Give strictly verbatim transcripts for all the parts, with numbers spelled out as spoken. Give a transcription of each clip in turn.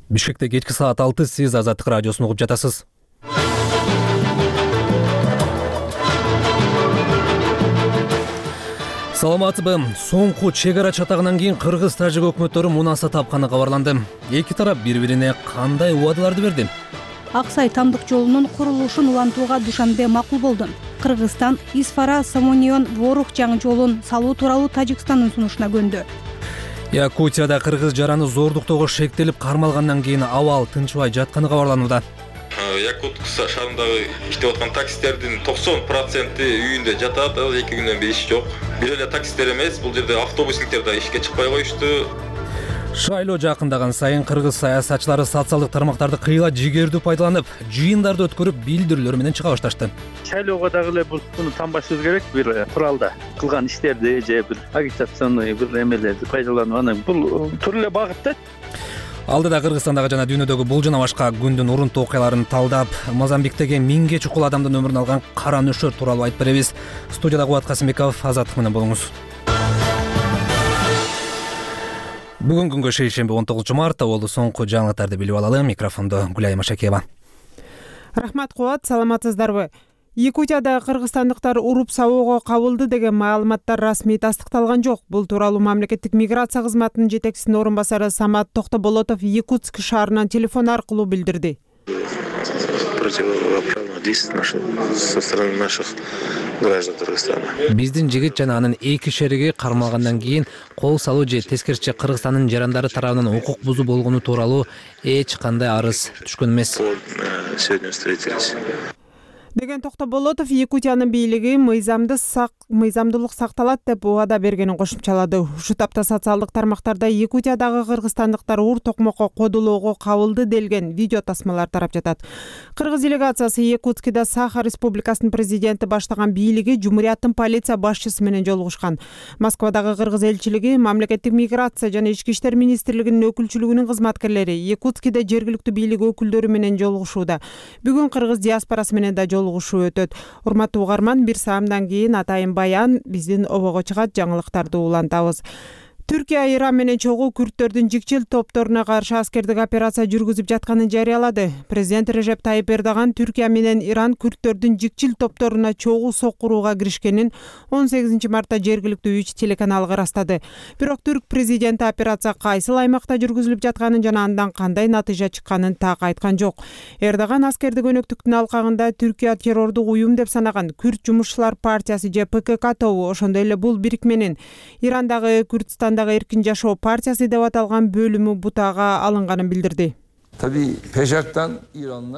Бишкекте кечки саат алты, сиз Азаттык радиосун угуп жатасыз. Саламатсызбы? Соңку чек ара чатагынан кийин Кыргыз-Тажик өкмөттөрү мунаса тапканы кабарланды. Эки тарап бири-бирине кандай убадаларды берди? Аксай тамдык жолунун курулушун улантууга Душанбе макул болду. Кыргызстан Исфара Самонион Ворух жаңы жолун салуу тууралуу Тажикстандын сунушуна көндү. Якутияда кыргыз жараны зордуктоого шектелип кармалгандан кийин абал тынчыбай жатканы кабарланууда. Якутск шаарындагы иштеп аткан таксистердин токсон проценти үйүндө жатат, эки күндөн бери иш жок. Бир эле таксистер эмес, бул жерде автобустиктер да ишке чыкпай коюшту. Шайлоо жакындаган сайын кыргыз саясатчылары социалдык тармактарды кыйла жигердүү пайдаланып, жыйындарды өткөрүп, билдирүүлөр менен чыга башташты. Шайлоого дагы эле буну танбашыбыз керек, бир куралда кылган иштерди же бир агитационный бир эмелерди пайдаланып, анан бул тура эле багыт да. Алдыда Кыргызстандагы жана дүйнөдөгү бул жана башка күндүн урунтуу окуяларын талдап, Мозамбиктеги миңге чукул адамдын өмүрүн алган кара нөшөр тууралуу айтып беребиз. Студияда Кубат Касымбеков, Азаттык менен болуңуз. Бүгүн күнгө шейшемби он тогузунчу март, болду соңку жаңылыктарды билип алалы. Микрофондо Гүлай Машакеева. Рахмат Кубат, саламатсыздарбы? Якутияда кыргызстандыктар уруп сабоого кабылды деген маалыматтар расмий тастыкталган жок. Бул тууралуу мамлекеттик миграция кызматынын жетекчисинин орун басары Самат Токтоболотов Якутск шаарынан телефон аркылуу билдирди. Со стороны наших граждан Кыргызстана. Биздин жигит жана анын эки шериги кармалгандан кийин кол салуу же тескерисинче Кыргызстандын жарандары тарабынан укук бузуу болгону тууралуу эч кандай арыз түшкөн эмес. Сегодня встретились. Деген Токтоболотов Якутиянын бийлиги мыйзамды сак мыйзамдуулук сакталат деп убада бергенин кошумчалады. Ушул тапта социалдык тармактарда Якутиядагы кыргызстандыктар уур токмокко кодулоого кабылды делген видео тасмалар тарап жатат. Кыргыз делегациясы Якутскида Саха Республикасынын президенти баштаган бийлиги Жумурияттын полиция башчысы менен жолугушкан. Москвадагы кыргыз элчилиги, мамлекеттик миграция жана ички иштер министрлигинин өкүлчүлүгүнүн кызматкерлери Якутскиде жергиликтүү бийлик өкүлдөрү менен жолугушууда. Бүгүн кыргыз диаспорасы менен да жолугушуу өтөт. Урматтуу угарман, бир саамдан кийин атайын баян биздин обого чыгат, жаңылыктарды улантабыз. Түркия Иран менен чогуу күрттөрдүн жикчил топторуна каршы аскердик операция жүргүзүп жатканын жарыялады. Президент Режеп Тайип Эрдоган Түркия менен Иран күрттөрдүн жикчил топторуна чогуу соккурууга киришкенин он сегизинчи мартта жергиликтүү үч телеканалга ырастады. Бирок түрк президенти операция кайсыл аймакта жүргүзүлүп жатканын жана андан кандай натыйжа чыкканын так айткан жок. Эрдоган аскердик өнөктүктүн алкагында Түркия террордук уюм деп санаган Күрт жумушчулар партиясы же Пэ Ка Ка тобу, ошондой эле бул бирикменин Ирандагы Күртстан Эркин жашоо партиясы деп аталган бөлүмү бутага алынганын билдирди.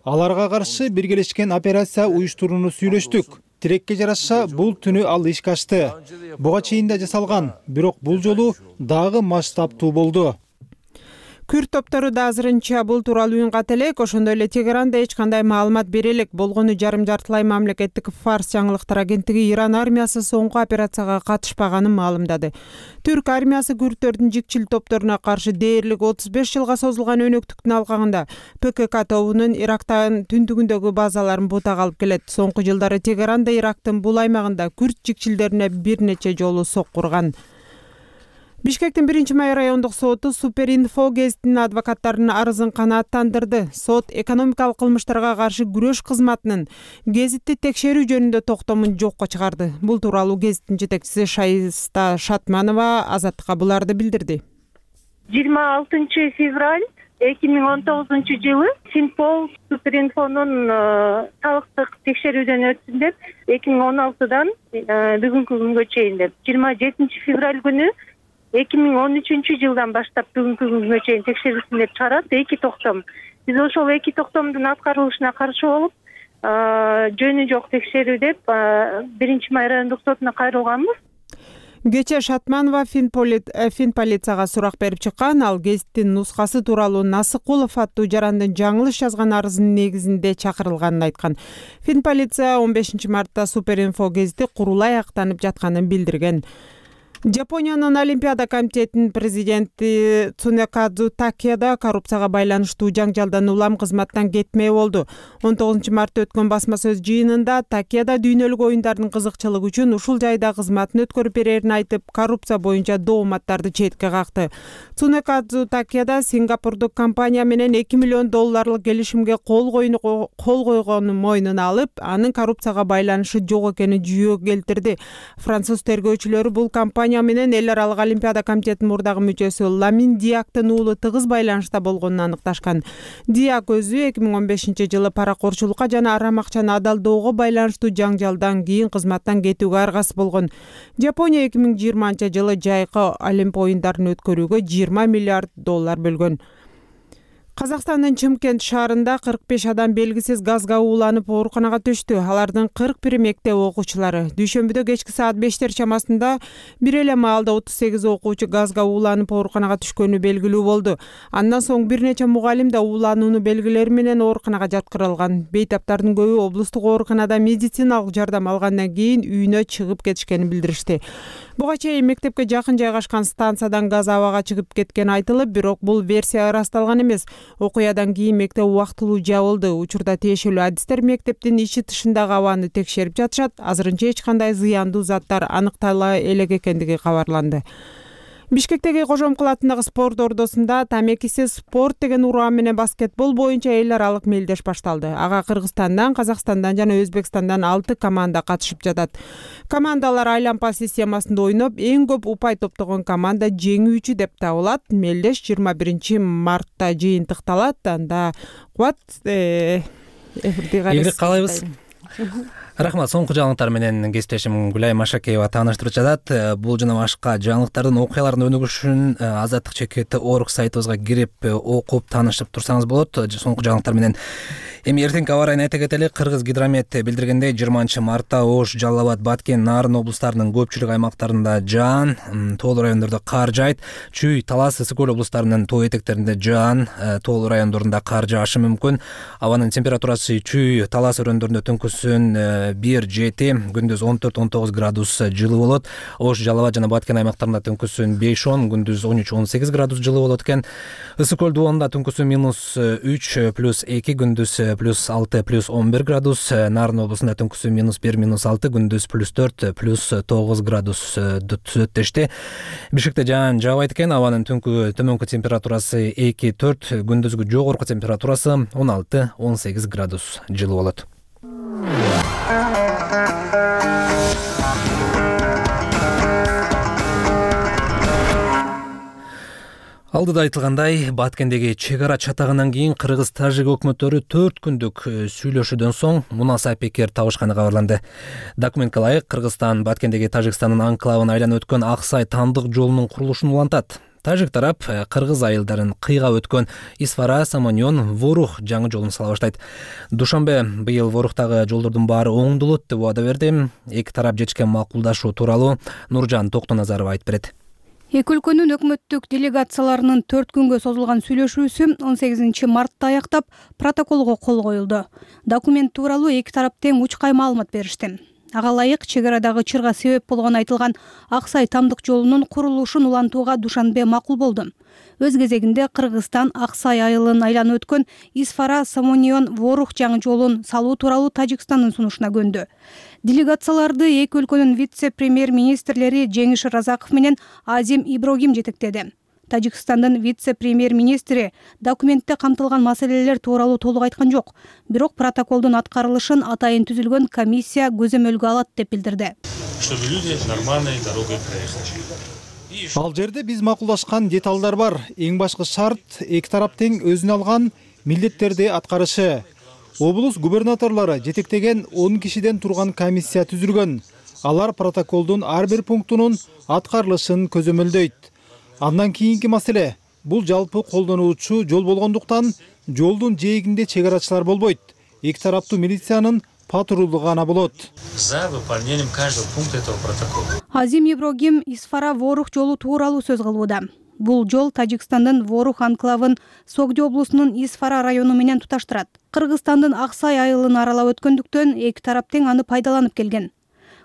Аларга каршы биргелешкен операция уюштурууну сүйлөштүк. Тилекке жараша бул түнү ал ишке ашты. Буга чейин да жасалган, бирок бул жолу дагы масштабтуу болду. Күрт топтору да азырынча бул тууралуу үн ката элек, ошондой эле Тегеранда эч кандай маалымат бере элек. Болгону жарым жартылай мамлекеттик Фарс жаңылыктар агенттиги Иран армиясы соңку операцияга катышпаганын маалымдады. Түрк армиясы күрттөрдүн жикчил топторуна каршы дээрлик отуз беш жылга созулган өнөктүктүн алкагында Пэ Ка Ка тобунун Ирактын түндүгүндөгү базаларын бутага алып келет. Соңку жылдары Тегеранда Ирактын бул аймагында күрт жикчилдерине бир нече жолу соккурган. Бишкектин биринчи май райондук соту Суперинфо гезитинин адвокаттарынын арызын канааттандырды. Сот экономикалык кылмыштарга каршы күрөш кызматынын гезитти текшерүү жөнүндө токтомун жокко чыгарды. Бул тууралуу гезиттин жетекчиси Шайста Шатманова Азаттыкка буларды билдирди. жыйырма алтынчы февраль эки миң он тогузунчу жылы Синпол Суперинфонун салыктык текшерүүдөн өтсүн деп эки миң он алтыдан бүгүнкү күнгө чейин деп жыйырма жетинчи февраль күнү эки миң он үчүнчү жылдан баштап бүгүнкү күнгө чейин текшерилсин деп чыгарат эки токтом. Биз ошол эки токтомдун аткарылышына каршы болуп, жөнү жок текшерүү деп биринчи май райондук сотуна кайрылганбыз. Кечээ Шатманова Финполицияга сурак берип чыккан. Ал гезиттин нускасы тууралуу Насыкулов аттуу жарандын жаңылыш жазган арызынын негизинде чакырылганын айткан. Финполиция он бешинчи мартта Суперинфо гезити курулай актанып жатканын билдирген. Жапониянын Олимпиада комитетинин президенти Цунекадзу Такеда коррупцияга байланыштуу жаңжалдан улам кызматтан кетмей болду. он тогузунчу мартта өткөн басма сөз жыйынында Такеда дүйнөлүк оюндардын кызыкчылыгы үчүн ушул жайда кызматын өткөрүп берерин айтып, коррупция боюнча дооматтарды четке какты. Цунекадзу Такеда Сингапурдук компания менен эки миллион долларлык келишимге кол кол койгонун мойнуна алып, анын коррупцияга байланышы жок экенин жүйөгө келтирди. Француз тергөөчүлөрү бул компания менен эл аралык Олимпиада комитетинин мурдагы мүчөсү Ламин Диактын уулу тыгыз байланышта болгонун аныкташкан. Диак өзү эки миң он бешинчи жылы паракорчулукка жана арам акчаны адалдоого байланыштуу жаңжалдан кийин кызматтан кетүүгө аргасыз болгон. Жапония эки миң жыйырманчы жылы жайкы Олимп оюндарын өткөрүүгө жыйырма миллиард доллар бөлгөн. Казакстандын Чымкент шаарында кырк беш адам белгисиз газга ууланып ооруканага түштү. Алардын кырк бiri мектеп окуучулары. Дүйшөмбүдө кечки саат бештер чамасында бир эле маалда отуз сегиз окуучу газга ууланып ооруканага түшкөнү белгилүү болду. Андан соң бир нече мугалим да уулануунун белгилери менен ооруканага жаткырылган. Бейтаптардын көбү облустук ооруканада медициналык жардам алгандан кийин үйүнө чыгып кетишкенин билдиришти. Буга чейин мектепке жакын жайгашкан станциядан газ абага чыгып кеткени айтылып, бирок бул версия ырасталган эмес. Окуядан кийин мектеп убактылуу жабылды. Учурда тиешелүү адистер мектептин ичи тышындагы абаны текшерип жатышат. Азырынча эч кандай зыяндуу заттар аныктала элек экендиги кабарланды. Бишкектеги Кожомкул атындагы спорт ордосунда тамекисиз спорт деген ураан менен баскетбол боюнча эл аралык мелдеш башталды. Ага Кыргызстандан, Казакстандан жана Өзбекстандан алты команда катышып жатат. Командалар айлампа системасында ойноп, эң көп упай топтогон команда жеңүүчү деп табылат. Мелдеш жыйырма биринчи мартта жыйынтыкталат. Анда кубат эфирди каалайбыз. Рахмат. Соңку жаңылыктар менен кесиптешим Гүлай Машакеева тааныштырып жатат. Бул жана башка жаңылыктардын окуялардын өнүгүшүн Азаттык чекити орг сайтыбызга кирип окуп таанышып турсаңыз болот. Соңку жаңылыктар менен эми эртеңки аба райын айта кетели. Кыргыз гидромет билдиргендей, жыйырманчы мартта Ош, Жалал Абад, Баткен, Нарын облустарынын көпчүлүк аймактарында жаан, тоолуу райондордо кар жаайт. Чүй, Талас, Ысык көл облустарынын тоо этектеринде жаан, тоолуу райондорунда кар жаашы мүмкүн. Абанын температурасы Чүй, Талас өрөөндөрүндө түнкүсүн бир жети, күндүз он төрт он тогуз градус жылуу болот. Ош, Жалал Абад жана Баткен аймактарында түнкүсүн беш он, күндүз он үч он сегиз градус жылуу болот экен. Ысык көл дубалында түнкүсүн минус үч плюс эки, күндүз плюс алты плюс он бир градус. Нарын облусунда түнкүсүн минус бир минус алты, күндүз плюс төрт плюс тогуз градус түзөт дешти. Бишкекте жаан жаабайт экен. Абанын түнкү төмөнкү температурасы эки төрт, күндүзгү жогорку температурасы он алты он сегиз градус жылуу болот. Алдыда айтылгандай, Баткендеги чек ара чатагынан кийин кыргыз-тажик өкмөттөрү төрт күндүк сүйлөшүүдөн соң мунаса пикир табышканы кабарланды. Документке ылайык, Кыргызстан Баткендеги Тажикстандын анклавын айланып өткөн Аксай тамдык жолунун курулушун улантат. Тажик тарап кыргыз айылдарын кыйгап өткөн Исфара, Самоньон, Ворух жаңы жолун сала баштайт. Душанбе быйыл Воруктагы жолдордун баары оңдолот деп убада берди. Эки тарап жетишкен макулдашуу тууралуу Нуржан Токтоназарова айтып берет. Эки өлкөнүн өкмөттүк делегацияларынын төрт күнгө созулган сүйлөшүүсү он сегизинчи мартта аяктап, протоколго кол коюлду. Документ тууралуу эки тарап тең учкай маалымат беришти. Ага ылайык, чек арадагы чырга себеп болгон айтылган Аксай тамдык жолунун курулушун улантууга Душанбе макул болду. Өз кезегинде Кыргызстан Аксай айылын айланып өткөн Исфара, Самоньон, Ворух жаңы жолун салуу тууралуу Тажикстандын сунушуна көндү. Делегацияларды эки өлкөнүн вице-премьер-министрлери Жеңиш Разаков менен Азим Иброгим жетектеди. Тажикстандын вице-премьер-министри документте камтылган маселелер тууралуу толук айткан жок, бирок протоколдун аткарылышын атайын түзүлгөн комиссия көзөмөлгө алат деп билдирди. Чтобы люди нормальной дорогой проехали. Ал жерде биз макулдашкан деталдар бар. Эң башкы шарт эки тарап тең өзүнө алган милдеттерди аткарышы. Облус губернаторлору жетектеген он кишиден турган комиссия түзүлгөн. Алар протоколдун ар бир пунктунун аткарылышын көзөмөлдөйт. Андан кийинки маселе, бул жалпы колдонуучу жол болгондуктан жолдун жээгинде чек арачылар болбойт. Эки тараптуу милициянын патрулдугу гана болот. За выполнением каждого пункта этого протокола. Азим Иброгим Исфара Ворух жолу тууралуу сөз кылууда. Бул жол Тажикстандын Ворух анклавын Согди облусунун Исфара району менен туташтырат. Кыргызстандын Аксай айылын аралап өткөндүктөн эки тарап тең аны пайдаланып келген.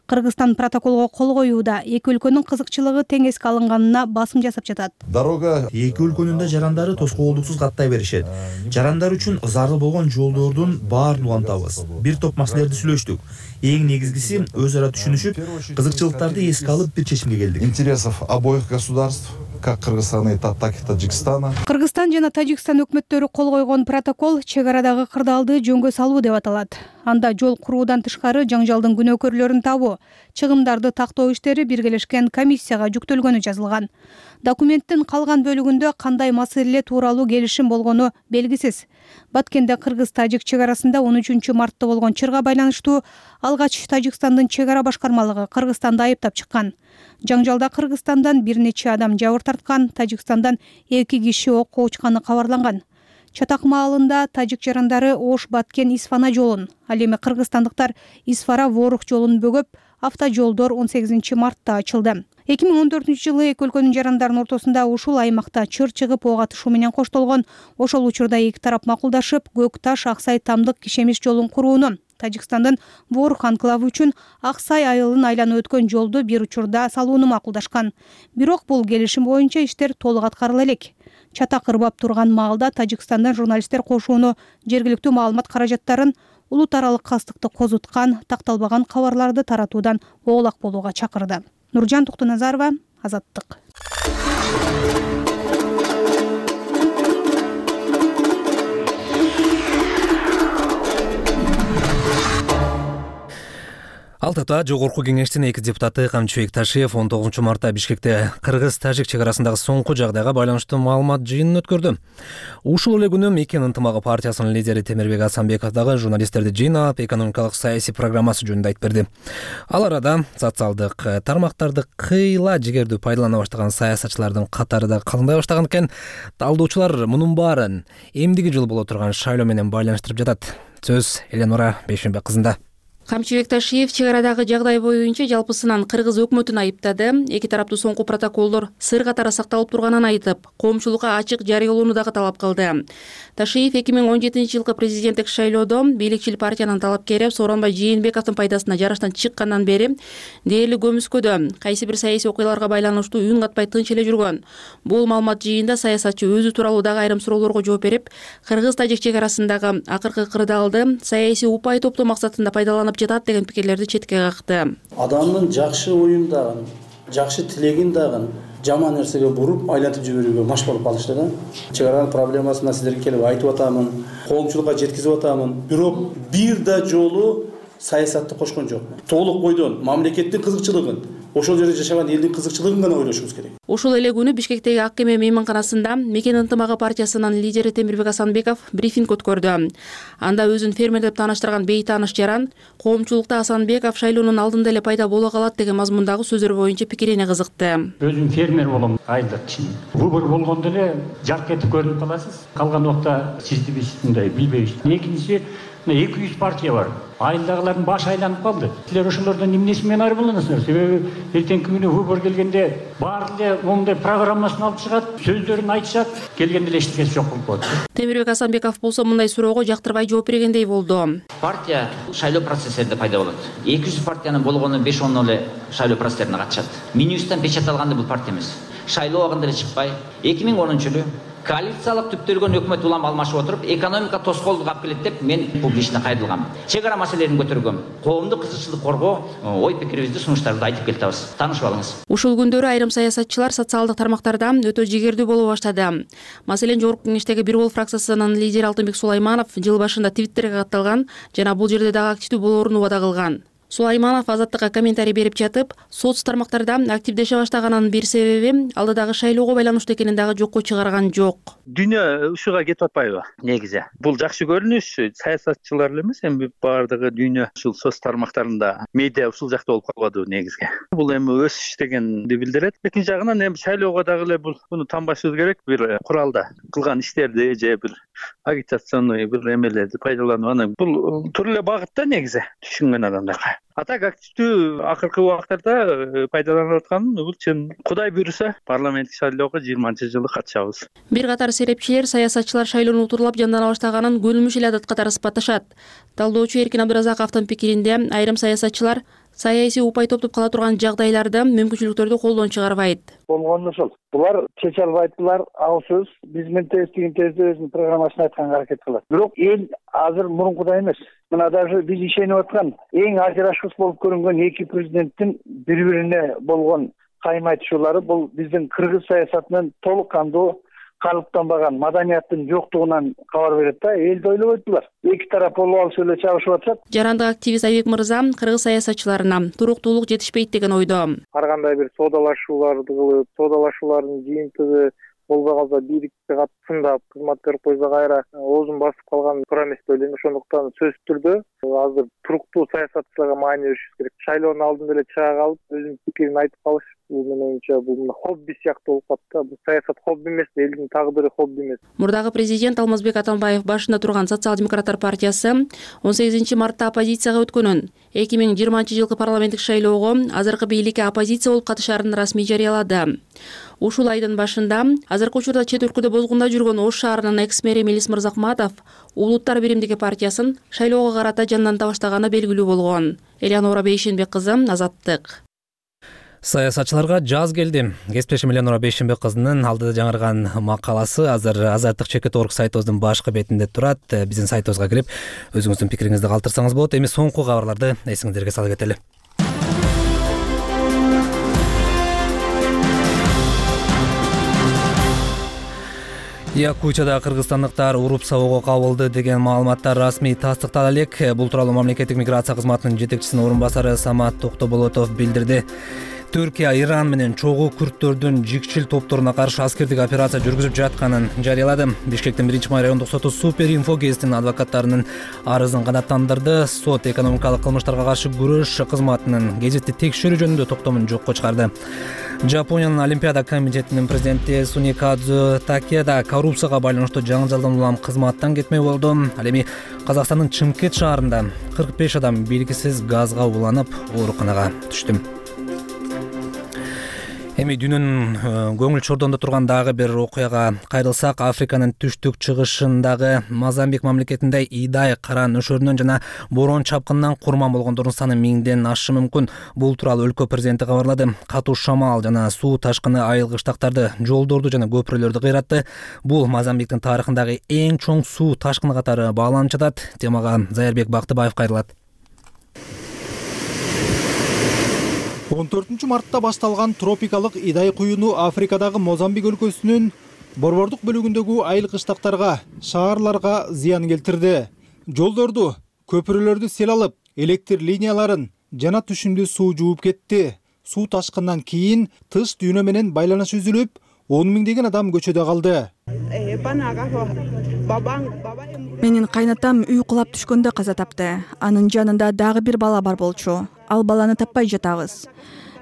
Кыргызстан протоколго кол коюуда эки өлкөнүн кызыкчылыгы тең эске алынганына басым жасап жатат. Дорога эки өлкөнүн да жарандары тоскоолдуксуз каттай беришет. Жарандар үчүн зарыл болгон жолдордун баарын улантабыз. Бир топ маселелерди сүйлөштүк. Эң негизгиси өз ара түшүнүшүп, кызыкчылыктарды эске алып бир чечимге келдик. Интересов обоих государств, как Кыргызстана, так и Таджикистана. Кыргызстан жана Тажикстан өкмөттөрү кол койгон протокол чек арадагы кырдаалды жөнгө салуу деп аталат. Анда жол куруудан тышкары жаңжалдын күнөөкөрлөрүн табуу, чыгымдарды тактоо иштери биргелешкен комиссияга жүктөлгөнү жазылган. Документтин калган бөлүгүндө кандай маселе тууралуу келишим болгону белгисиз. Баткенде Кыргыз-Тажик чек арасында он үчүнчү мартта болгон чырга байланыштуу алгач Тажикстандын чек ара башкармалыгы Кыргызстанды айыптап чыккан. Жаңжалда Кыргызстандан бир нече адам жабыр тарткан, Тажикстандан эки киши окко учканы кабарланган. Чатак маалында тажик жарандары Ош Баткен Исфана жолун, ал эми кыргызстандыктар Исфара Ворух жолун бөгөп, автожолдор он сегизинчи мартта ачылды. эки миң он төртүнчү жылы эки өлкөнүн жарандарынын ортосунда ушул аймакта чыр чыгып ок атышуу менен коштолгон. Ошол учурда эки тарап макулдашып, Көк Таш Аксай Тамдык Кишемиш жолун курууну, Тажикстандын Ворух анклавы үчүн Аксай айылын айланып өткөн жолду бир учурда салууну макулдашкан. Бирок бул келишим боюнча иштер толук аткарыла элек. Чатак ырбап турган маалда Тажикстандан журналисттер кошууну, жергиликтүү маалымат каражаттарын, улут аралык кастыкты козуткан, такталбаган кабарларды таратуудан оолак болууга чакырды. Нуржан Туктуназарова, Азаттык. Алтата жогорку кеңештин эки депутаты Камчыбек Ташиев он тогузунчу мартта Бишкекте Кыргыз-Тажик чек арасындагы соңку жагдайга байланыштуу маалымат жыйынын өткөрдү. Ушул эле күнү Мекен ынтымагы партиясынын лидери Темирбек Асанбеков дагы журналисттерди жыйнап, экономикалык саясий программасы жөнүндө айтып берди. Ал арада социалдык тармактарды кыйла жигердүү пайдалана баштаган саясатчылардын катары да калыңдай баштаган экен. Талдоочулар мунун баарын эмдиги жыл боло турган шайлоо менен байланыштырып жатат. Сөз Эленора Бейшенбек кызында. Камчыбек Ташиев чек арадагы жагдай боюнча жалпысынан Кыргыз өкмөтүн айыптады. Эки тараптуу соңку протоколдор сыр катары сакталып турганын айтып, коомчулукка ачык жарыялоону дагы талап кылды. Ташиев эки миң он жетинчи жылкы президенттик шайлоодо бийликчил партиянын талапкери Сооронбай Жээнбековдун пайдасына жараштан чыккандан бери дээрлик көмүскөдө кайсы бир саясий окуяларга байланыштуу үн катпай тынч эле жүргөн. Бул маалымат жыйында саясатчы өзү тууралуу дагы айрым суроолорго жооп берип, Кыргыз-Тажик чек арасындагы акыркы кырдаалды саясий упай топтоо максатында пайдаланып жатат деген пикирлерди четке какты. Адамдын жакшы оюн дагы, жакшы тилегин дагы жаман нерсеге буруп, айлантып жиберүүгө маш болуп калышты да. Чек аранын проблемасын сиздерге келип айтып атамын, коомчулукка жеткизип атамын. Бирок бир да жолу саясатты кошкон жокмун. Толук бойдон мамлекеттин кызыкчылыгын, ошол жерде жашаган элдин кызыкчылыгын гана ойлошубуз керек. Ошол эле күнү Бишкектеги Ак Кеме мейманканасында Мекен ынтымагы партиясынын лидери Темирбек Асанбеков брифинг өткөрдү. Анда өзүн фермер деп тааныштырган бейтааныш жаран коомчулукта Асанбеков шайлоонун алдында эле пайда боло калат деген мазмундагы сөздөр боюнча пикирине кызыкты. Өзүм фермер болом айылдык киши. Выбор болгондо эле жарк этип көрүнүп каласыз. Калган убакта сизди биз мындай билбейбиз. Экинчиси эки жүз партия бар. Айылдагылардын башы айланып калды. Силер ошолордон эмнеси менен айырыласыздар? Себеби эртеңки күнү выбор келгенде баары эле моундай программасын алып чыгат, сөздөрүн айтышат, келгенде эле эчтекеси жок болуп калат. Темирбек Асанбеков болсо мындай суроого жактырбай жооп бергендей болду. Партия шайлоо процесстеринде пайда болот. эки жүз партиянын болгону беш он эле шайлоо процесстерине катышат. Минюстан печаталганда бул партия эмес. Шайлоо убагында эле чыкпай, эки миң онунчу жылы коалициялык түптөлгөн өкмөт улам алмашып отуруп, экономика тоскоолдук алып келет деп мен публично кайрылгам. Чек ара маселелерин көтөргөм. Коомдук кызыкчылык коргоо, ой пикирибизди, сунуштарды айтып келатабыз. Таанышып алыңыз. Ушул күндөрү айрым саясатчылар социалдык тармактарда өтө жигердүү боло баштады. Маселен, Жогорку Кеңештеги Бир Бол фракциясынын лидери Алтынбек Сулайманов жыл башында Твиттерге катталган жана бул жерде дагы активдүү болоорун убада кылган. Сулайманов Азаттыкка комментарий берип жатып, соц тармактарда активдеше баштаганын бир себеби алдыдагы шайлоого байланыштуу экенин дагы жокко чыгарган жок. Дүйнө ушуга кетип атпайбы? Негизи бул жакшы көрүнүш, саясатчылар эле эмес, эми баардыгы дүйнө ушул соц тармактарында, медиа ушул жакта болуп калбады негизги. Бул эми өсүш дегенди билдирет. Экинчи жагынан эми шайлоого дагы эле бул буну танбашыбыз керек, бир куралда кылган иштерди же бир агитационный бир эмелерди пайдаланып, анан бул тур эле багытта негизи түшүнгөн адамдарга. А так активдүү акыркы убактарда пайдаланып аткан бул чын. Кудай буйруса, парламенттик шайлоого жыйырманчы жылы катышабыз. Бир катар серепчилер саясатчылар шайлоону утурлап жандана баштаганын күнүмүш эле адат катары сыпатташат. Талдоочу Эркин Абдыразаковдун пикиринде, айрым саясатчылар саясий упай топтоп кала турган жагдайларда мүмкүнчүлүктөрдү колдон чыгарбайт. Болгону ушул. Булар чече албайдылар, ал сөз. Биз менен тегин тезде өзүнүн программасын айтканга аракет кылат. Бирок эл азыр мурункудай эмес. Мына даже биз ишенип аткан эң ажырашкыс болуп көрүнгөн эки президенттин бири-бирине болгон кайым айтышуулары бул биздин кыргыз саясатынын толук кандуу калыптанбаган маданияттын жоктугунан кабар берет да. Элди ойлобойдулар. Эки тарап болуп алып эле чабышып атышат. Жарандык активист Айбек мырза кыргыз саясатчыларына туруктуулук жетишпейт деген ойдо. Ар кандай бир соодалашууларды кылып, соодалашуулардын жыйынтыгы болбой калса бийликке катысында кызмат берип койсо кайра оозун басып калган туура эмес деп ойлойм. Ошондуктан сөзсүз түрдө азыр туруктуу саясатчыларга маани беришибиз керек. Шайлоонун алдында эле чыга калып өзүнүн пикирин айтып калыш бул менин оюмча бул хобби сыяктуу болуп калат. Бул саясат хобби эмес, элдин тагдыры хобби эмес. Мурдагы президент Алмазбек Атамбаев башында турган Социал-демократтар партиясы он сегизинчи мартта оппозицияга өткөнүн, эки миң жыйырманчы жылкы парламенттик шайлоого азыркы бийликке оппозиция болуп катышарын расмий жарыялады. Ушул айдын башында азыркы учурда чет өлкөдө бозгунда жүргөн Ош шаарынын экс-мэри Мелис Мырзакматов Улуттар биримдиги партиясын шайлоого карата жанданта баштаганы белгилүү болгон. Элеонора Бейшенбек кызы, Азаттык. Саясатчыларга жаз келди. Кесиптешим Элеонора Бейшенбек кызынын алдыда жаңырган макаласы азыр Азаттык чекит орг сайтыбыздын башкы бетинде турат. Биздин сайтыбызга кирип, өзүңүздүн пикириңизди калтырсаңыз болот. Эми соңку кабарларды эсиңиздерге салып кетели. Якутияда кыргызстандыктар уруп сабоого кабылды деген маалыматтар расмий тастыктала элек. Бул тууралуу мамлекеттик миграция кызматынын жетекчисинин орун басары Самат Токтоболотов билдирди. Түркия Иран менен чогуу күрттөрдүн жикчил топторуна каршы аскердик операция жүргүзүп жатканын жарыялады. Бишкектин биринчи май райондук соту Супер Инфо гезитинин адвокаттарынын арызын канааттандырды. Сот экономикалык кылмыштарга каршы күрөш кызматынын гезитти текшерүү жөнүндө токтомун жокко чыгарды. Жапониянын Олимпиада комитетинин президенти Суникадзу Такеда коррупцияга байланыштуу жаңжалдан улам кызматтан кетмей болду. Ал эми Казакстандын Чымкент шаарында кырк беш адам белгисиз газга уланып ооруканага түштү. Эми дүйнөнүн көңүл чордонда турган дагы бир окуяга кайрылсак, Африканын түштүк чыгышындагы Мозамбик мамлекетинде Идай кара нөшөрүнөн жана борон чапкынынан курман болгондордун саны миңден ашы мүмкүн. Бул тууралуу өлкө президенти кабарлады. Катуу шамал жана суу ташкыны айыл кыштактарды, жолдорду жана көпүрөлөрдү кыйратты. Бул Мозамбиктин тарыхындагы эң чоң суу ташкыны катары бааланып жатат. Темага Зайырбек Бактыбаев кайрылат. он төртүнчү мартта башталган тропикалык Идай куюну Африкадагы Мозамбик өлкөсүнүн борбордук бөлүгүндөгү айыл кыштактарга, шаарларга зыян келтирди. Жолдорду, көпүрөлөрдү сел алып, электр линияларын жана түшүмдүү суу жууп кетти. Суу ташкындан кийин тыш дүйнө менен байланыш үзүлүп, он миңдеген адам көчөдө калды. Менин кайнатам үй кулап түшкөндө каза тапты. Анын жанында дагы бир бала бар болчу. Ал баланы таппай жатабыз.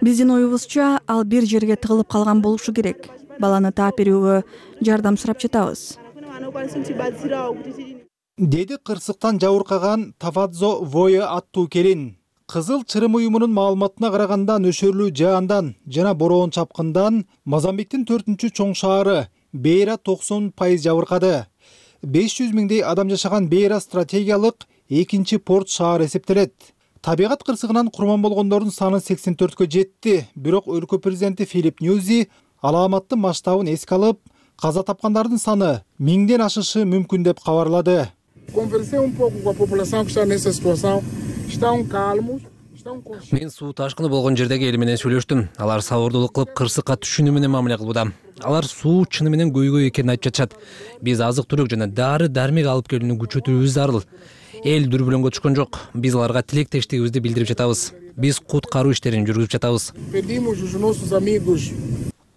Биздин оюбузча, ал бир жерге тыгылып калган болушу керек. Баланы таап берүүгө жардам сурап жатабыз. Деди кырсыктан жабыркаган Тафадзо Вое аттуу келин. Кызыл чырым уюмунун маалыматына караганда нөшөрлүү жаандан жана бороон чапкындан Мозамбиктин төртүнчү чоң шаары Бейра токсон пайыз жабыркады. беш жүз миңдей адам жашаган Бейра стратегиялык экинчи порт шаар эсептелет. Табигат кырсыгынан курман болгондордун саны сексен төрткө жетти. Бирок өлкө президенти Филип Ньюзи алааматтын масштабын эске алып, каза тапкандардын саны миңден ашышы мүмкүн деп кабарлады. Мен суу ташкыны болгон жердеги эл менен сүйлөштүм. Алар сабырдуулук кылып кырсыкка түшүүнү менен мамиле кылууда. Алар суу чыны менен көйгөй экенин айтып жатышат. Биз азык түлүк жана дары дармек алып келүүнү күчөтүүбүз зарыл. Эл дүрбөлөңгө түшкөн жок. Биз аларга тилектештигибизди билдирип жатабыз. Биз куткаруу иштерин жүргүзүп жатабыз.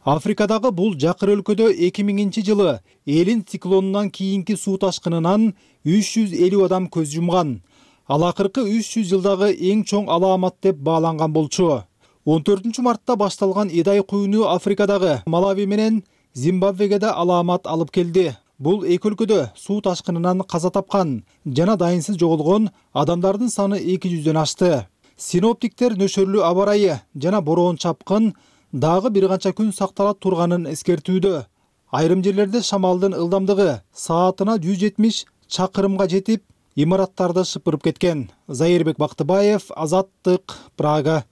Африкадагы бул жакыр өлкөдө эки миңинчи жылы элин циклонунан кийинки суу ташкынынан үч жүз элүү адам көз жумган. Ал акыркы үч жүз жылдагы эң чоң алаамат деп бааланган болчу. он төртүнчү мартта башталган Идай куюну Африкадагы Малави менен Зимбабвеге да алаамат алып келди. Бул эки өлкөдө суу ташкынынан каза тапкан жана дайынсыз жоголгон адамдардын саны эки жүздөн ашты. Синоптиктер нөшөрлүү аба ырайы жана бороон чапкын дагы бир канча күн сактала турганын эскертүүдө. Айрым жерлерде шамалдын ылдамдыгы саатына жүз жетимиш чакырымга жетип, имараттарды шыпырып кеткен. Зайырбек Бактыбаев, Азаттык, Прага.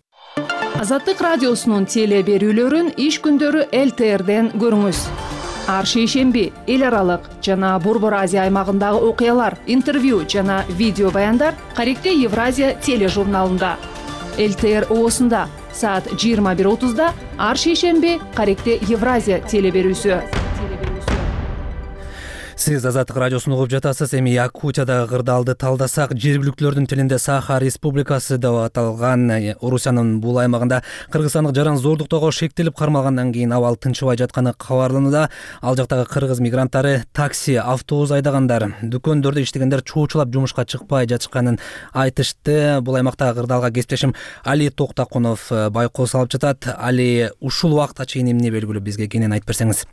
Азаттык радиосунун теле берүүлөрүн иш күндөрү эл тэ эрден көрүңүз. Ар шейшемби эл аралык жана Борбор Азия аймагындагы окуялар, интервью жана видео баяндар Каректе Евразия тележурналында. эл тэ эр оосунда саат жыйырма бир отузда ар шейшемби Каректе Евразия теле берүүсү. Сиз Азаттык радиосун угуп жатасыз. Эми Якутиядагы кырдаалды талдасак, жергиликтүүлөрдүн тилинде Саха Республикасы деп аталган Орусиянын бул аймагында кыргызстандык жаран зордуктоого шектелип кармалгандан кийин абал тынчыбай жатканы кабарланууда. Ал жактагы кыргыз мигранттары такси, автобус айдагандар, дүкөндөрдө иштегендер чоочулап жумушка чыкпай жатышканын айтышты. Бул аймактагы кырдаалга кесиптешим Али Токтакунов байкоо салып жатат. Али, ушул убакытка чейин эмне белгилүү, бизге кенен айтып берсеңиз.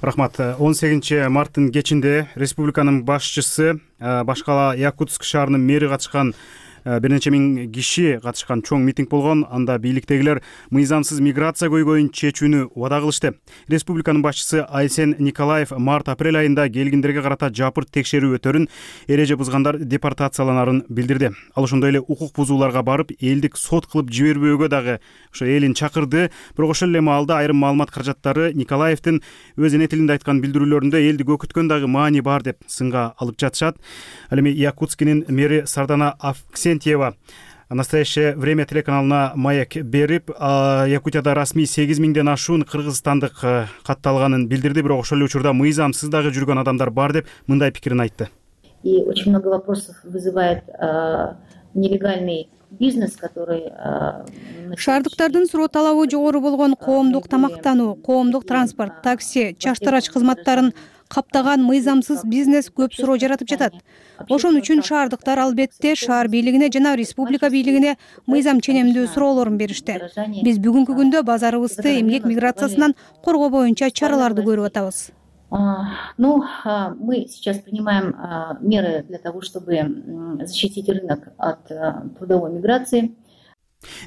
Рахмат. он сегизинчи марттын кечинде республиканын башчысы, башкала Якутск шаарынын мэри катышкан бир нече миң киши катышкан чоң митинг болгон. Анда бийликтегилер мыйзамсыз миграция көйгөйүн чечүүнү убада кылышты. Республиканын башчысы Айсен Николаев март-апрель айында келгиндерге карата жапырт текшерүү өтөрүн, эреже бузгандар депортацияланарын билдирди. Ал ошондой эле укук бузууларга барып, элдик сот кылып жибербөөгө дагы ошо элин чакырды. Бирок ошол эле маалда айрым маалымат каражаттары Николаевдин өз эне тилинде айткан билдирүүлөрүндө элди көкүткөн дагы маани бар деп сынга алып жатышат. Ал эми Якутскинин мэри Сардана Авксентьева в настоящее время телеканалына маек берип, Якутияда расмий сегиз миңден ашуун кыргызстандык катталганын билдирди. Бирок ошол эле учурда мыйзамсыз дагы жүргөн адамдар бар деп мындай пикирин айтты. И очень много вопросов вызывает нелегальный бизнес, который шаардыктардын суроо талабы жогору болгон коомдук тамактануу, коомдук транспорт, такси, чаштарач кызматтарын каптаган мыйзамсыз бизнес көп суроо жаратып жатат. Ошон үчүн шаардыктар албетте шаар бийлигине жана республика бийлигине мыйзам ченемдүү суроолорун беришти. Биз бүгүнкү күндө базарыбызды эмгек миграциясынан коргоо боюнча чараларды көрүп атабыз. Ну, мы сейчас принимаем меры для того, чтобы защитить рынок от трудовой миграции.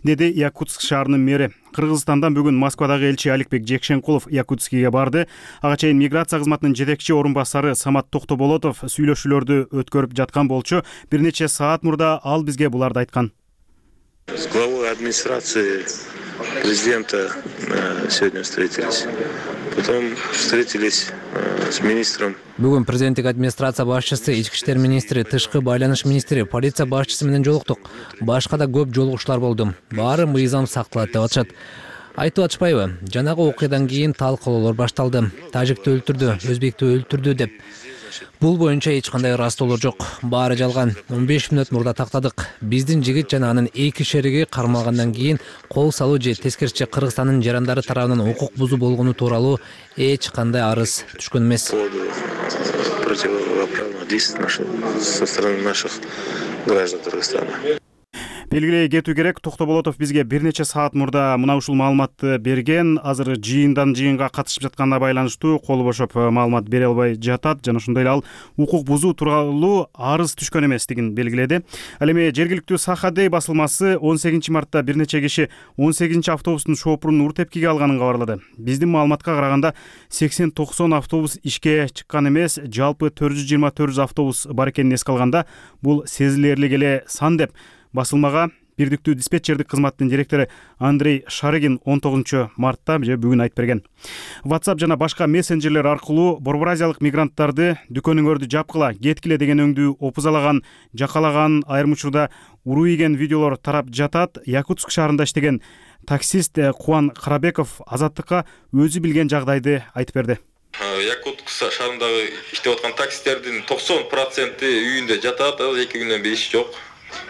Деди Якутск шаарынын мэри. Кыргызстандан бүгүн Москвадагы элчи Аликбек Жекшенкулов Якутскиге барды. Ага чейин миграция кызматынын жетекчи орун басары Самат Токтоболотов сүйлөшүүлөрдү өткөрүп жаткан болчу. Бир нече саат мурда ал бизге буларды айткан. С главой администрации президента сегодня встретились. Потом встретились с министром. Бүгүн президенттик администрация башчысы, ички иштер министри, тышкы байланыш министри, полиция башчысы менен жолуктук. Башка да көп жолугуштар болду. Баары мыйзам сакталат деп атышат. Айтып атышпайбы? Жанагы окуядан кийин талкуулоолор башталды. Тажикти өлтүрдү, өзбекти өлтүрдү деп. Бул боюнча эч кандай ырастоолор жок. Баары жалган. он беш мүнөт мурда тактадык. Биздин жигит жана анын эки шериги кармалгандан кийин кол салуу же тескерисинче Кыргызстандын жарандары тарабынан укук бузуу болгону тууралуу эч кандай арыз түшкөн эмес. Противоправных действий со стороны наших граждан Кыргызстана. Белгилей кетүү керек, Токтоболотов бизге бир нече саат мурда мына ушул маалыматты берген. Азыр жыйындан жыйынга катышып жатканына байланыштуу колу бошоп маалымат бере албай жатат. Жана ошондой эле ал укук бузуу тууралуу арыз түшкөн эместигин белгиледи. Ал эми жергиликтүү Сахадей басылмасы он сегизинчи мартта бир нече киши он сегизинчи автобустун шоопурун ур тепкиге алганын кабарлады. Биздин маалыматка караганда сексен токсон автобус ишке чыккан эмес, жалпы төрт жүз жыйырма төрт автобус бар экенин эске алганда бул сезилерлик эле сан деп басылмага бирдиктүү диспетчердик кызматтын директору Андрей Шарыгин он тогузунчу мартта же бүгүн айтып берген. WhatsApp жана башка мессенджерлер аркылуу борборазиялык мигранттарды дүкөнүңөрдү жапкыла, кеткиле деген өңдүү опузалаган, жакалаган, айрым учурда уруу ийген видеолор тарап жатат. Якутск шаарында иштеген таксист Кубан Карабеков Азаттыкка өзү билген жагдайды айтып берди. Якутск шаарындагы иштеп аткан таксистердин токсон проценти үйүндө жатат, эки күндөн бери иш жок.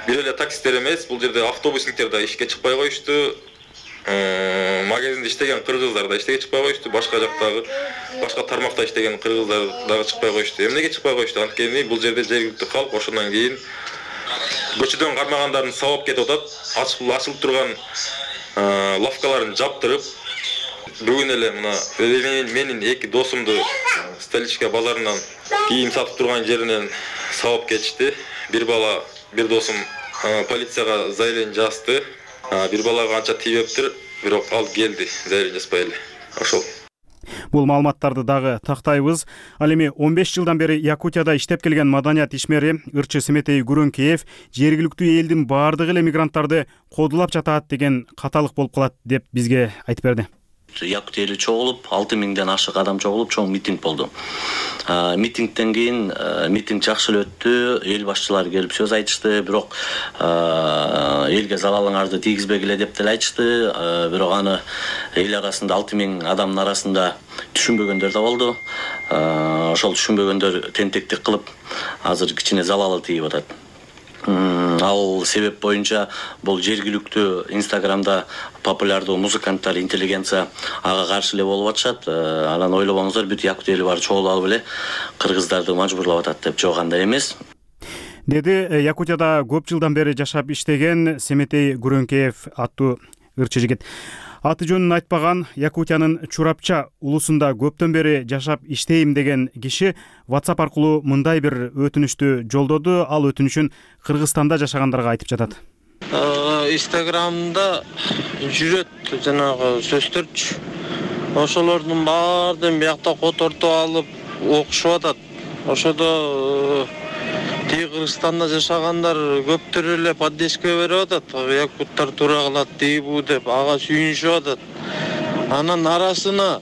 Бир эле таксистер эмес, бул жерде автобусниктер да ишке чыкпай коюшту. Магазинде иштеген кыргыздар да ишке чыкпай коюшту. Башка жактагы, башка тармакта иштеген кыргыздар дагы чыкпай коюшту. Эмнеге чыкпай коюшту? Анткени бул жерде жергиликтүү калк ошондон кийин көчөдөн кармагандардын сабап кетип атат. Ачылып ачылып турган лавкаларын жаптырып, бүгүн эле мына менин эки досумду Столичка базарынан кийим сатып турган жеринен сабап кетишти. Бир бала, бир досум полицияга заявление жазды. Бир балага анча тийбептир, бирок ал келди, заявление жазбай эле. Ошол. Бул маалыматтарды дагы тактайбыз. Ал эми он беш жылдан бери Якутияда иштеп келген маданият ишмери ырчы Семетей Гүрөнкеев жергиликтүү элдин баардыгы эле мигранттарды кодулап жатат деген каталык болуп калат деп бизге айтып берди. Якут эли чогулуп, алты миңден ашык адам чогулуп чоң митинг болду. Митингден кийин митинг жакшы эле өттү. Эл башчылары келип сөз айтышты, бирок элге залалыңарды тийгизбегиле деп деле айтышты. Бирок аны эл арасында алты миң адамдын арасында түшүнбөгөндөр да болду. Ошол түшүнбөгөндөр тентектик кылып, азыр кичине залалы тийип атат. Ал себеп боюнча бул жергиликтүү Инстаграмда популярдуу музыканттар, интеллигенция ага каршы эле болуп атышат. Анан ойлобоңуздар, бүт Якут эли баары чогулуп алып эле кыргыздарды мажбурлап атат деп. Жок, андай эмес. Деди Якутияда көп жылдан бери жашап иштеген Семетей Гүрөнкеев аттуу ырчы жигит. Аты жөнүн айтпаган Якутиянын Чурапча улусунда көптөн бери жашап иштейм деген киши WhatsApp аркылуу мындай бир өтүнүштү жолдоду. Ал өтүнүшүн Кыргызстанда жашагандарга айтып жатат. Инстаграмда жүрөт жанагы сөздөрчү. Ошолордун баардыгын биякта котортуп алып окушуп атат. Ошодо тиги Кыргызстанда жашагандар көптөр эле поддержка берип атат. Якуттар туура кылат дейбу деп ага сүйүнүшүп атат. Анан арасына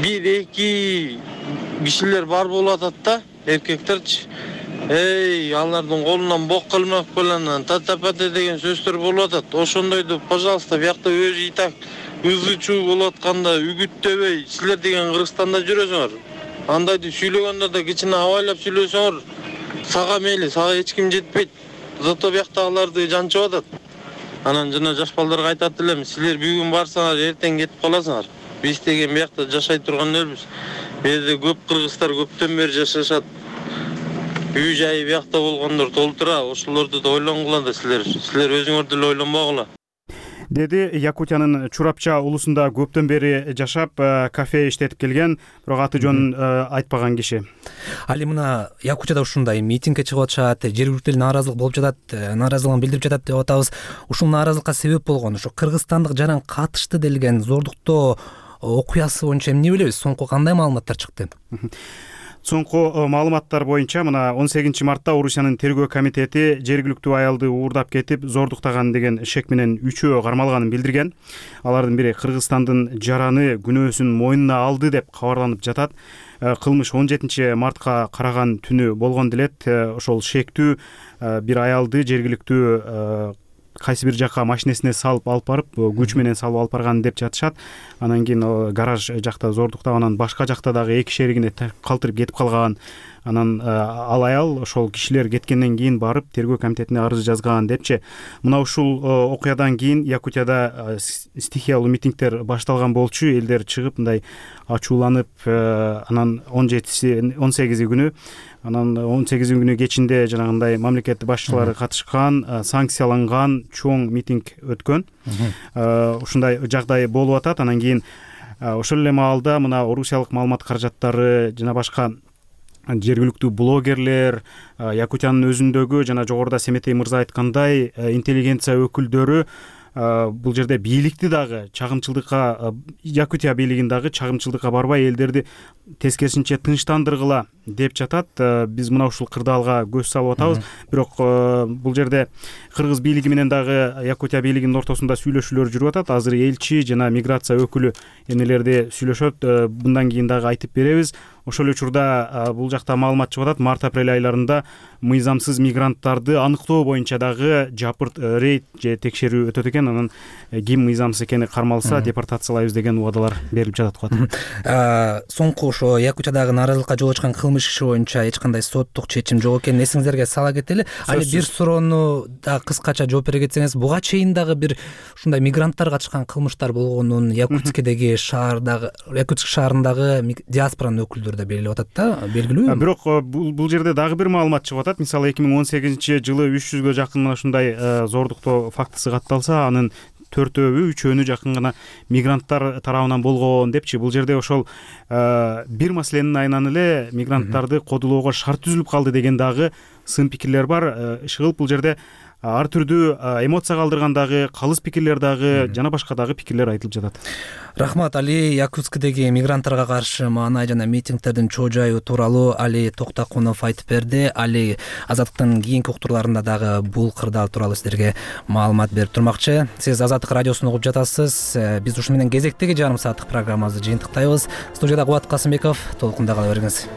бир эки кишилер бар болуп атат да, эркектерчи. Эй, алардын колунан бок кылмак белән татапате деген сөздөр болуп атат. Ошондойду, пожалуйста, биякта өз и так ызы чуу болуп атканда үгүттөбөй, силер деген Кыргызстанда жүрөсүңөр. Андайды сүйлөгөндө да кичине абайлап сүйлөсөңөр. Сага мейли, сага эч ким жетпейт. Зато бияктагыларды жанчып атат. Анан жана жаш балдарга айтат элем, силер бүгүн барсаңар, эртең кетип каласыңар. Биз деген биякта жашай турган элбиз. Бу жерде көп кыргыздар көптөн бери жашашат. Үй жайы биякта болгондор толтура, ошолорду да ойлонгула да силер. Силер өзүңөрдү эле ойлонбогула. Деди Якутиянын Чурапча улусунда көптөн бери жашап, кафе иштетип келген, бирок аты жөнүн айтпаган киши. Ал эми мына Якутияда ушундай митингге чыгып атышат, жергиликтүү нааразылык болуп жатат, нааразылыгын билдирип жатат деп атабыз. Ушул нааразылыкка себеп болгон ушу кыргызстандык жаран катышты делген зордуктоо окуясы боюнча эмне билебиз? Соңку кандай маалыматтар чыкты? Соңку маалыматтар боюнча мына он сегизинчи мартта Орусиянын тергөө комитети жергиликтүү аялды уурдап кетип, зордуктаган деген шек менен үчөө кармалганын билдирген. Алардын бири Кыргызстандын жараны күнөөсүн мойнуна алды деп кабарланып жатат. Кылмыш он жетинчи мартка караган түнү болгон делет. Ошол шектүү бир аялды жергиликтүү кайсы бир жакка машинесине салып алып барып, күч менен салып алып барган деп жатышат. Анан кийин гараж жакта зордуктап, анан башка жакта дагы эки шеригине калтырып кетип калган. Анан ал аял ошол кишилер кеткенден кийин барып тергөө комитетине арыз жазган депчи. Мына ушул окуядан кийин Якутияда стихиялуу митингдер башталган болчу. Элдер чыгып мындай ачууланып, анан он жетиси он сегизи күнү анан он сегизи күнү кечинде жанагындай мамлекет башчылары катышкан, санкцияланган чоң митинг өткөн. Ушундай жагдай болуп атат. Анан кийин ошол эле маалда мына орусиялык маалымат каражаттары жана башка жергиликтүү блогерлер, Якутиянын өзүндөгү жана жогоруда Семетей мырза айткандай интеллигенция өкүлдөрү бул жерде бийликти дагы чагымчылдыкка, Якутия бийлигин дагы чагымчылдыкка барбай элдерди тескерисинче тынчтандыргыла деп жатат. Биз мына ушул кырдаалга көз салып атабыз. Бирок бул жерде кыргыз бийлиги менен дагы Якутия бийлигинин ортосунда сүйлөшүүлөр жүрүп атат. Азыр элчи жана миграция өкүлү эмнелерди сүйлөшөт, мындан кийин дагы айтып беребиз. Ошол учурда бул жакта маалымат чыгып атат. Март-апрель айларында мыйзамсыз мигранттарды аныктоо боюнча дагы жапырт рейд же текшерүү өтөт экен. Анан ким мыйзамсыз экени кармалса депортациялайбыз деген убадалар берилип жатат го. Соңку ошо Якутиядагы нааразылыкка жол ачкан кылмыш иши боюнча эч кандай соттук чечим жок экенин эсиңиздерге сала кетели. Али бир суроону да кыскача жооп бере кетсеңиз, буга чейин дагы бир ушундай мигранттар катышкан кылмыштар болгонун Якутскедеги шаардагы, Якутск шаарындагы диаспоранын өкүлдөрү да белгилеп атат да, белгилүү. Бирок бул жерде дагы бир маалымат чыгып атат. Мисалы эки миң он сегизинчи жылы үч жүзгө жакын мына ушундай зордуктоо фактысы катталса, анын төртөөнү, үчөөнү жакын гана мигранттар тарабынан болгон депчи. Бул жерде ошол бир маселенин айынан эле мигранттарды кодулоого шарт түзүлүп калды деген дагы сын пикирлер бар. Иши кылып бул жерде ар түрдүү эмоция калтырган дагы калыс пикирлер дагы жана башка дагы пикирлер айтылып жатат. Рахмат. Али Якутскдеги мигранттарга каршы маанай жана митингдердин чоо жайы тууралуу Али Токтакунов айтып берди. Али Азаттыктын кийинки уктурларында дагы бул кырдаал тууралуу сиздерге маалымат берип турмакчы. Сиз Азаттык радиосун угуп жатасыз. Биз ушу менен кезектеги жарым сааттык программабызды жыйынтыктайбыз. Студияда Кубат Касымбеков, толкунда кала бериңиз.